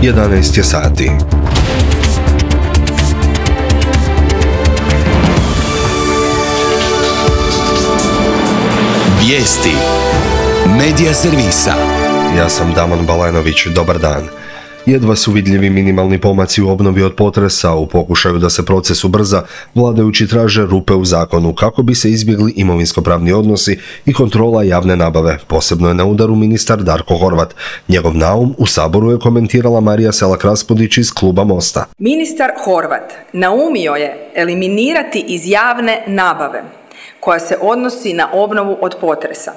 11 je sati. Vijesti Medija servisa. Ja sam Damon Balenović, dobar dan. Jedva su vidljivi minimalni pomaci u obnovi od potresa. U pokušaju da se proces ubrza, vladajući traže rupe u zakonu kako bi se izbjegli imovinsko-pravni odnosi i kontrola javne nabave. Posebno je na udaru ministar Darko Horvat. Njegov naum u Saboru je komentirala Marija Selak-Raspudić iz kluba Mosta. Ministar Horvat naumio je eliminirati iz javne nabave koja se odnosi na obnovu od potresa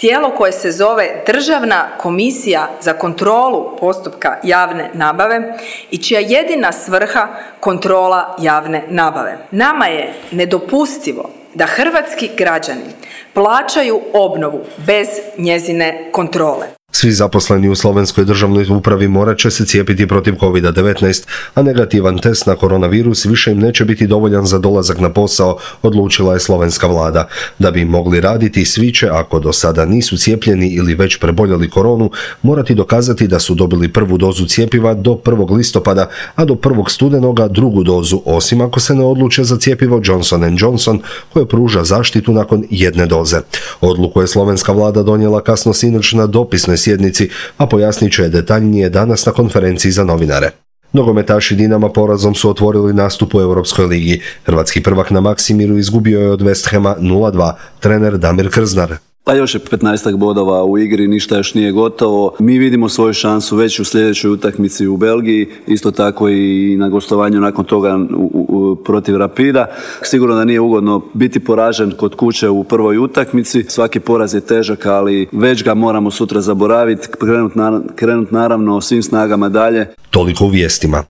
tijelo koje se zove Državna komisija za kontrolu postupka javne nabave i čija jedina svrha kontrola javne nabave. Nama je nedopustivo da hrvatski građani plaćaju obnovu bez njezine kontrole. Svi zaposleni u slovenskoj državnoj upravi morat će se cijepiti protiv COVID-19, a negativan test na koronavirus više im neće biti dovoljan za dolazak na posao, odlučila je slovenska vlada. Da bi mogli raditi, svi će, ako do sada nisu cijepljeni ili već preboljeli koronu, morati dokazati da su dobili prvu dozu cjepiva do 1. listopada, a do 1. studenoga drugu dozu, osim ako se ne odluče za cjepivo Johnson & Johnson, koje pruža zaštitu nakon jedne doze. Odluku je slovenska vlada donijela kasno sinoć na dopisnoj sjednici, a pojasnit će je detaljnije danas na konferenciji za novinare. Nogometaši Dinama porazom su otvorili nastup u Europskoj ligi. Hrvatski prvak na Maksimiru izgubio je od West Hama 0-2, trener Damir Krznar. Pa još je 15 bodova u igri, ništa još nije gotovo. Mi vidimo svoju šansu već u sljedećoj utakmici u Belgiji, isto tako i na gostovanju nakon toga protiv Rapida. Sigurno da nije ugodno biti poražen kod kuće u prvoj utakmici. Svaki poraz je težak, ali već ga moramo sutra zaboraviti, krenuti naravno svim snagama dalje. Toliko u vijestima.